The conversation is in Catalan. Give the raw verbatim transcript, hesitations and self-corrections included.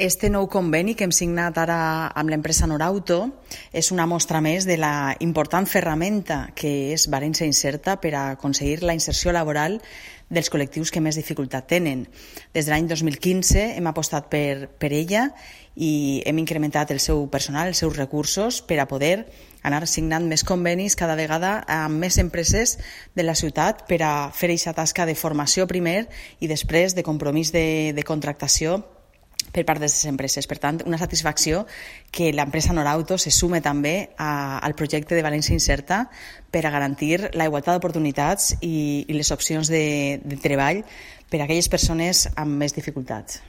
Este nou conveni que hem signat ara amb l'empresa Norauto és una mostra més de la important ferramenta que és València Inserta per a aconseguir la inserció laboral dels col·lectius que més dificultat tenen. Des de l'any dos mil quinze hem apostat per, per ella i hem incrementat el seu personal, els seus recursos, per a poder anar signant més convenis cada vegada amb més empreses de la ciutat per a fer aquesta tasca de formació primer i després de compromís de, de contractació per part de les empreses. Per tant, una satisfacció que l'empresa Norauto se sume també a, al projecte de València Inserta per a garantir la igualtat d'oportunitats i, i les opcions de, de treball per a aquelles persones amb més dificultats.